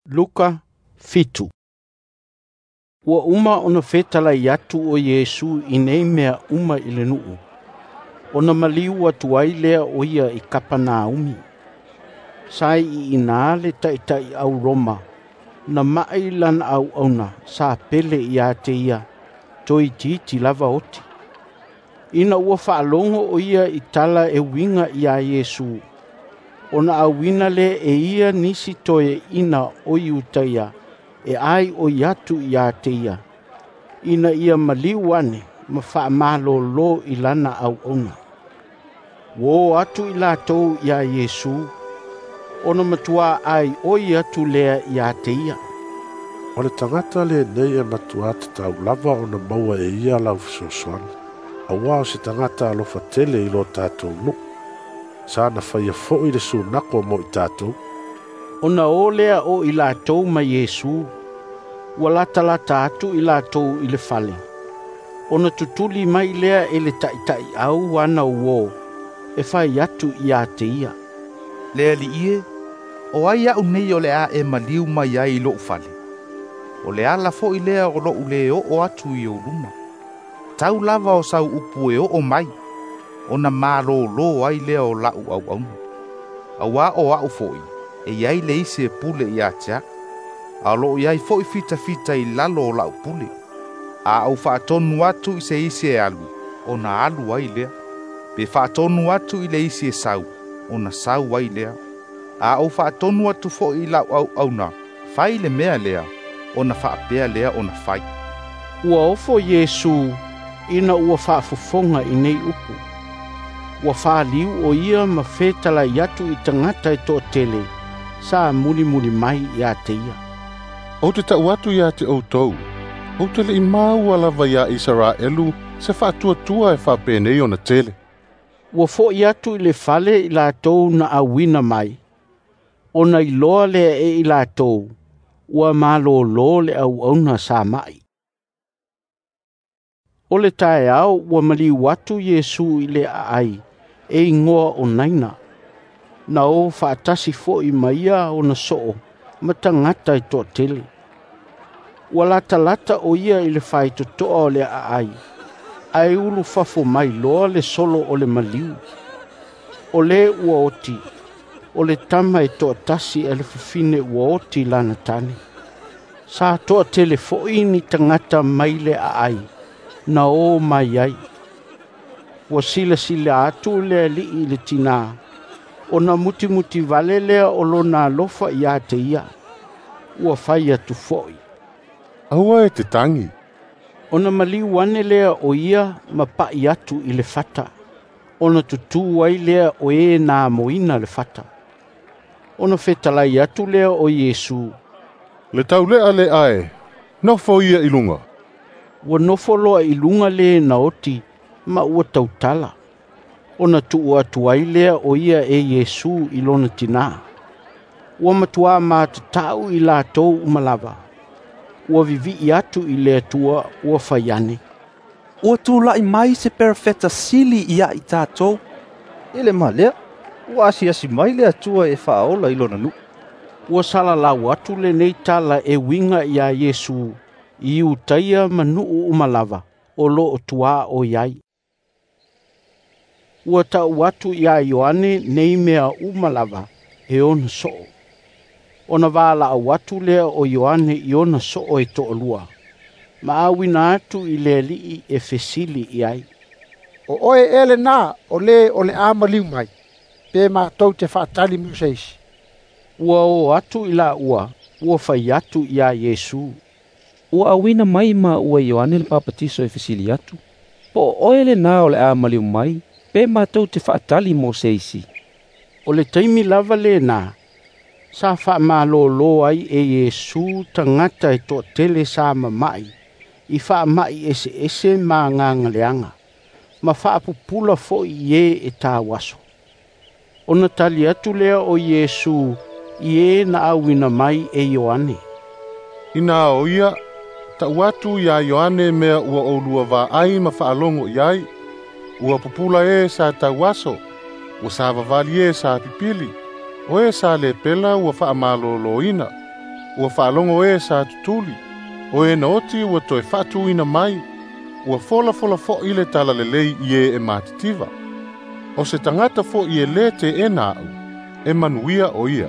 Luka 7. Ua uma ona fetalai atu o Iesu i nei mea uma i le nuu, ona maliu atu ai lea o ia i Kapenaumi. Sa i ina le taitaiau Roma na ma'i lana auauna sa pele ia te ia, toeitiiti lava oti. Ina ua faalogo o ia i tala e uiga ia Iesu, ona auina lea e ia nisi toeaina o Iutaia e aioi atu ia te ia, ina ia maliu ane ma faamalolo i lana auauna. Ua o atu i latou ia Iesu, ona matua aioi atu lea ia te ia. O le tagata lenei e matua tatau lava ona maua e ia lau fesoasoani, auā o se tagata alofa tele i lo tatou nuu. Sa na faia fo'i le sunako mo i tatou. Ona o lea o i latou ma Iesu, ua latalata atu i latou i le fale, ona tutuli mai lea e le taitaiau ana uō, e fai atu ia te ia. Le Alii e, o ai a'u nei o le a e maliu mai ai i lo'u fale? O le ala fo'i lea o lo'u lē oo atu i ou luma. Tau lava o sau upu e oo mai, ona malōlō ai lea o la'u auauna. Auā o a'u fo'i, e iai le isi e pule ia te a'u, a o loo iai fo'i fitafita i lalo o la'u pule. A ou faatonu atu i se isi e alu, ona alu ai lea. Pe faatonu atu i le isi e sau, ona sau ai lea. A ou faatonu atu fo'i i la'u auauna, fai le mea lea, ona faapea lea ona fai. Ua ofo Iesu ina ua faafofoga i nei upu. Ua faliu o ia ma fetalai atu i tagata e toatele sa mulimuli mai ia te ia. Ou te ta'u atu iā te outou, ou te le'i maua lava iā Isaraelu se faatuatua e faapenei ona tele. Ua fo'i atu i le fale i latou na auina mai, ona iloa lea e i latou, ua malōlō le auauna sa ma'i. O le taeao ua maliu atu Iesu i le aai e igoa o Naina. Na o faatasi fo'i ma ia ona soo ma tagata e toatele. Ua latalata o ia i le faitotoa o le aai, ae ulufafo mai loa le solo o le maliu. O le ua oti, o le tama e toatasi a le fafine ua oti lana tane. Sa toatele fo'i ni tagata mai le aai, na o mai ai. Ua silasila atu le alii i le tinā, ona mutimuti vale lea o lona alofa ia te ia. Ua fai atu fo'i. Aua e te tagi. Ona maliu ane lea o ia ma pa'i atu i le fata, ona tutū ai lea o e na amoina le fata. Ona fetalai atu lea o Iesu. Le taule'a le ae, nofo ia i luga. Ua nofo loa i luga le na oti ma ua tautala. Ona tuu atu ai lea o ia e Iesu i lona tinā. Ua matua matata'u i latou uma lava. Ua vivi'i atu i le Atua ua fai ane. Ua tula'i mai se perofeta sili ia i tatou. E le ma lea, ua asiasi mai le Atua e faaola i lona nuu. Ua salalau atu lenei tala e uiga ia Iesu i Iutaia ma nuu uma lava o loo tuaoi ai. Ua ta'u atu ia Ioane nei mea uma lava e ona soo. Ona valaau atu lea o Ioane i ona soo e toalua, ma auina atu i le alii e fesili i ai. O oe ea lenā o lē o le a maliu mai, pe matou te faatali mo se isi. Ua o atu i laua, ua fai atu ia Iesu. Ua auina mai maua e Ioane le Papatiso e fesili atu, po o oe lenā o le a maliu mai, pe matou te faatali mo se isi. O le taimi lava lenā, sa faamalōlō ai e Iesu tagata e toatele sa mama'i, i faama'i eseese ma agagaleaga, ma faapupula fo'i i e e tauaso. Ona tali atu lea o Iesu i e na auina mai e Ioane. Inā o ia, ta'u atu iā Ioane mea ua oulua vaai ma faalogo i ai, ua pupula e sa tauaso, ua savavali e sa pipili, o e sa lepela ua faamalōlōina, Ua faalogo e sa tutuli, o e na oti ua toe faatuina mai, ua folafola fo'i le talalelei i e e matitiva. O se tagata fo'i e lē te'ena a'u, e manuia o ia.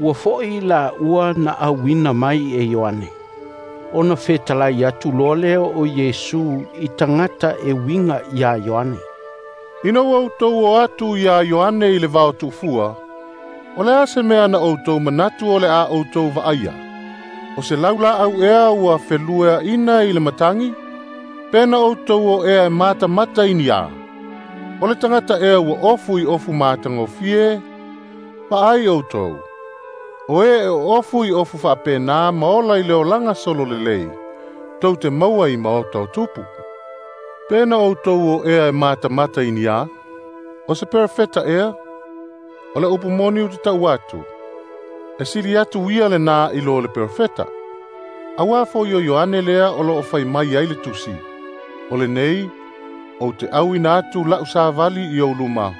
Ua fo'i la ua na auina mai e Ioane. Ona fetalai atu loa lea o Iesu i tagata e uiga iā Ioane. Ina ua outou o atu iā Ioane i le vao tu'ufua, o le a se mea na outou manatu o le a outou va'aia? O se laula'au ea ua feluea'ina i le matagi? Pe na outou o ea e matamata i ni a? O le tagata ea ua ofu i ofu matagofie? Va'ai outou. O e e ofu i ofu fa'apena ma ola i le olaga solo lelei, tou te maua i maota o tupu. Pe na outou o ea e matamata i ni a? O se perofeta ea? O le upu moni ou te ta'u atu, e sili atu ia lenā i lo le perofeta. Auā fo'i o Ioane lea o lo'o fai mai ai le tusi, o lenei, ou te auina atu la'u savali i ou luma,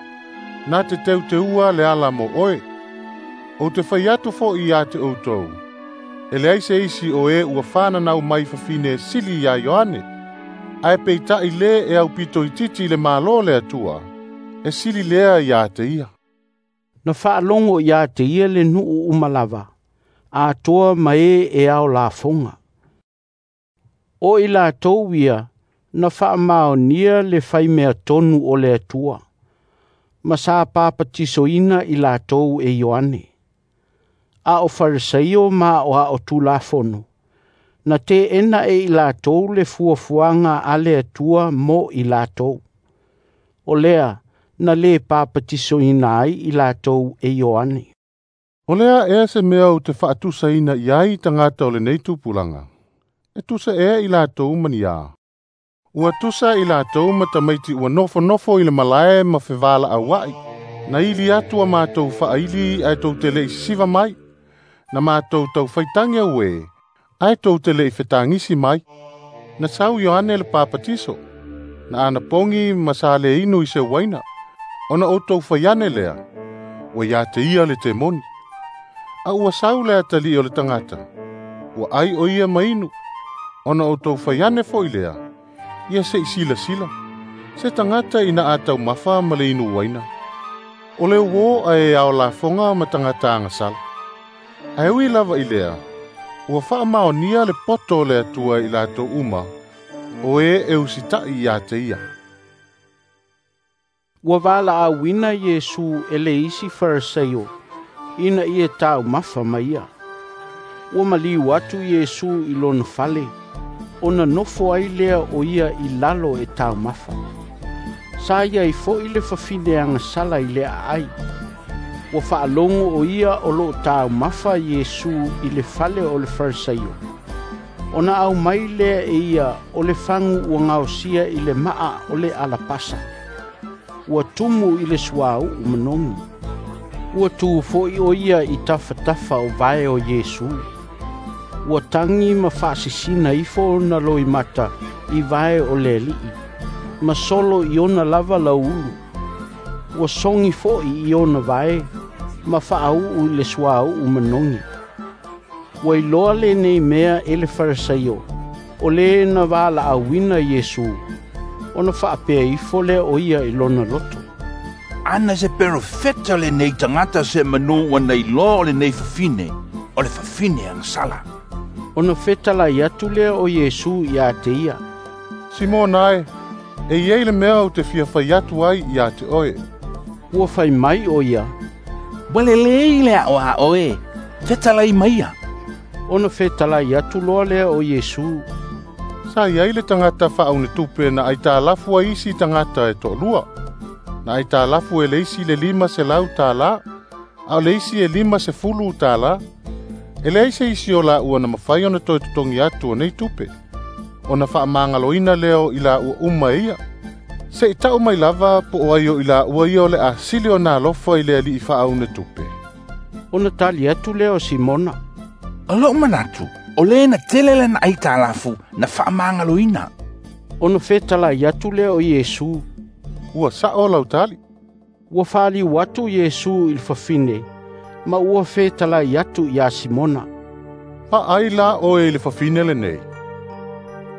na te teuteua le ala mo oe. Ou te fai atu fo'i iā te outou, e leai se isi o e ua fananau mai fafine e sili iā Ioane, ae peita'i lē e aupito itiiti i le Mālō le Atua, e sili lea iā te ia. Na faalogo iā te ia le nu'u uma lava, atoa ma e e ao lafoga. O i latou ia na faamaonia le faimea tonu o le Atua, ma sa papatisoina i latou e Ioane. A o Farisaio ma o a o Tulafono, na te'ena e i latou le fuafuaga a le Atua mo i latou. O lea na lē papatisoina ai i latou e Ioane. O lea ea se mea ou te fa'atusaina i ai tagata o lenei tupulaga. E tusa ea i latou ma ni a? Ua tusa i latou ma tamaiti ua nofonofo i le malae ma fevala'aua'i. Na ili atu a matou fa'aili ae tou te le'i sisiva mai. Na matou taufaitagi auē, ae tou te le'i fetagisi mai. Na sau Ioane le Papatiso, na anapogi ma sa lē inu i se uaina. Ona outou fai ane lea, ua iā te ia le temoni. A ua sau le atali'i o le tagata, ua ai o ia ma inu. Ona outou fai ane fo'i lea, ia se'i silasila, se tagata ina a taumafa ma le inu uaina. O le uō ae ao lafoga ma tagata agasala. Ae ui lava i lea, ua fa'amaonia le poto o le Atua i latou uma, o e e usita'i iā te ia. Ua vala'auina Iesu e le isi Farisaio, ina ia taumafa ma ia. Ua maliu atu Iesu i lona fale, ona nofo ai lea o ia i lalo e taumafa. Sa iai fo'i le fafine agasala i le aai. Ua faalogo o ia o lo'o taumafa Iesu i le fale o le Farisaio. Ona aumai lea e ia o le fagu ua gaosia i le ma'a o le alapasa. Ua tumu i le suāu'u manogi. Ua tu fo'i o ia i tafatafa o vae o Iesu. Ua tagi ma fa'asisina ifo ona loimata i vae o le Ali'i, ma solo i ona lava lauulu. Ua sogi fo'i i ona vae, ma fa'au'u i le suāu'u manogi. Ua iloa lenei mea e le Farisaio, o lē na vala'auina Iesu, ona fa'apea ifo lea o ia i lona loto. Ana se perofeta lenei tagata se'amanu ua na iloa o lenei fafine, o le fafine agasala. Ona fetalai atu lea o Iesu iā te ia. Simona e, e iai le mea ou te fia fai atu ai iā te oe. Ua fai mai o ia. Ua lelei le a'o a oe, fetalai maia. Ona fetalai atu loa lea o Iesu. Sa iai le tagata fa'aunetupe na aitalafu ai isi tagata e to'alua. Na aitalafu e le isi le 500 tālā, a o le isi e 50 tālā. E leai se isi o la'ua na mafai ona toe totogi atu o nei tupe. Ona fa'amagaloina lea o i la'ua uma e ia. Se'i ta'u mai lava po o ai o i la'ua ia o le a sili ona alofa i le ali'i fa'aunetupe. Ona tali atu lea o Simona. O lo'u manatu, o lē na tele lana aitalafu na fa'amagaloina. Ona fetalai atu lea o Iesu. Ua sa'o lau tali. Ua faliu atu Iesu i le fafine, ma ua fetalai atu iā Simona. Vaai la oe i le fafine lenei.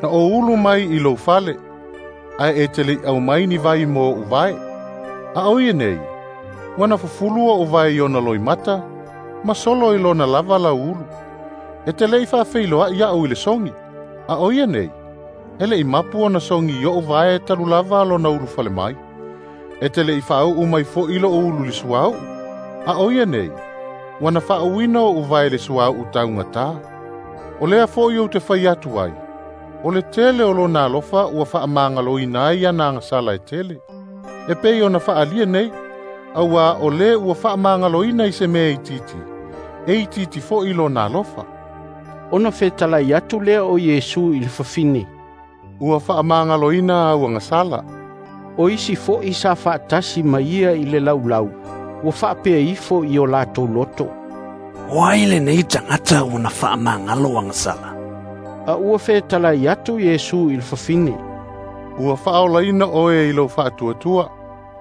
Na ou ulu mai i lou fale, ae e te le'i aumai ni vai mo oʻu vae. A o ia nei, ua na fufulu oʻu vae i ona loimata, ma solo i lona lava lauulu. E te le'i faafeiloa'i iaʻu i le sogi, a o ia nei, e le'i mapu ona sogi i oʻu vae talu lava lona ulufale mai. E te le'i faauu mai fo'i loʻu ulu i le suauu, a o ia nei, ua na faauuina oʻu vae i le suauu taugatā. O lea fo'i ou te fai atu ai, o le tele o lona alofa ua faamagaloina ai ana agasala e tele. E pei ona faaalia nei, auā o lē ua faamagaloina i se mea itiiti, e itiiti fo'i lona alofa.” Ona fetalai atu lea o Iesu i le fafine, “Ua faamagaloina au agasala.” O isi fo'i sa faatasi ma ia i le laulau, ua faapea ifo i o latou loto, “O ai lenei tagata ua na faamagalo agasala?” A ua fetalai atu Iesu i le fafine, “Ua faaolaina oe i lou faatuatua.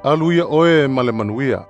Alu ia oe ma le manuia.”